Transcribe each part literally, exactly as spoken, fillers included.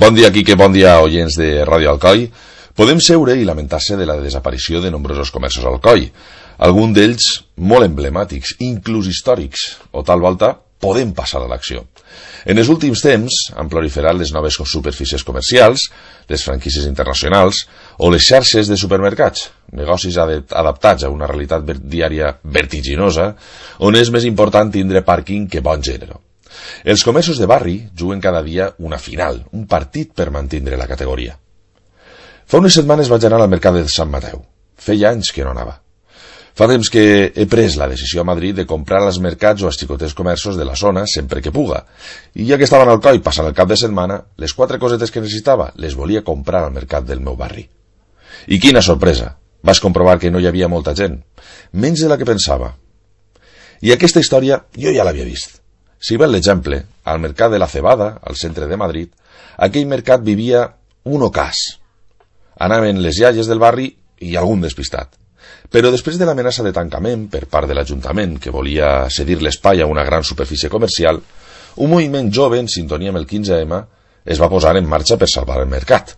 Bon dia, Quique, bon dia, oients de Ràdio Alcoi. Podem seure i lamentar-se de la desaparició de nombrosos comerços a Alcoi, alguns d'ells molt emblemàtics, inclús històrics, o tal volta podem passar a l'acció. En els últims temps han proliferat les noves superfícies comercials, les franquícies internacionals o les xarxes de supermercats, negocis adaptats a una realitat diària vertiginosa, on és més important tindre pàrquing que bon gènere. Els comerços de barri juguen cada dia una final, un partit per mantenir la categoria. Fa unes setmanes vaig anar al mercat de Sant Mateu. Feia anys que no anava. Fa temps que he pres la decisió a Madrid de comprar als mercats o als xicotets comerços de la zona sempre que puga. I ja que estava en Alcoi passant el cap de setmana, les quatre cosetes que necessitava les volia comprar al mercat del meu barri. I quina sorpresa! Vaig comprovar que no hi havia molta gent, menys de la que pensava. I aquesta història jo ja l'havia vist. Si ve l'exemple, al mercat de la Cebada, al centre de Madrid, aquell mercat vivia un ocàs. Anaven les iaies del barri i algun despistat. Però després de l'amenaça de tancament per part de l'Ajuntament, que volia cedir l'espai a una gran superfície comercial, un moviment jove en sintonia amb el quinze ema es va posar en marxa per salvar el mercat.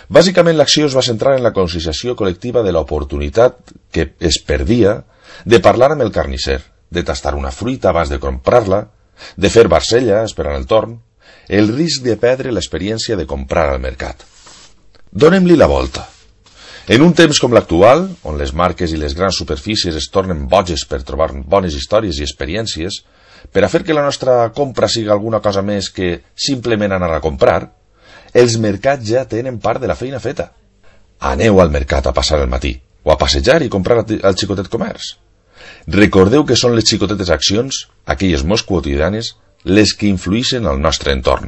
Bàsicament l'acció es va centrar en la conscienciació col·lectiva de l'oportunitat que es perdia de parlar amb el carnisser, de tastar una fruita abans de comprar-la, de fer barcella esperant el torn, el risc de perdre l'experiència de comprar al mercat. Donem-li la volta. En un temps com l'actual, on les marques i les grans superfícies es tornen boges per trobar bones històries i experiències, per a fer que la nostra compra sigui alguna cosa més que simplement anar a comprar, els mercats ja tenen part de la feina feta. Aneu al mercat a passar el matí, o a passejar i comprar al xicotet comerç. Recordeu que són les xicotetes accions, aquelles molt quotidianes, les que influïxen al nostre entorn.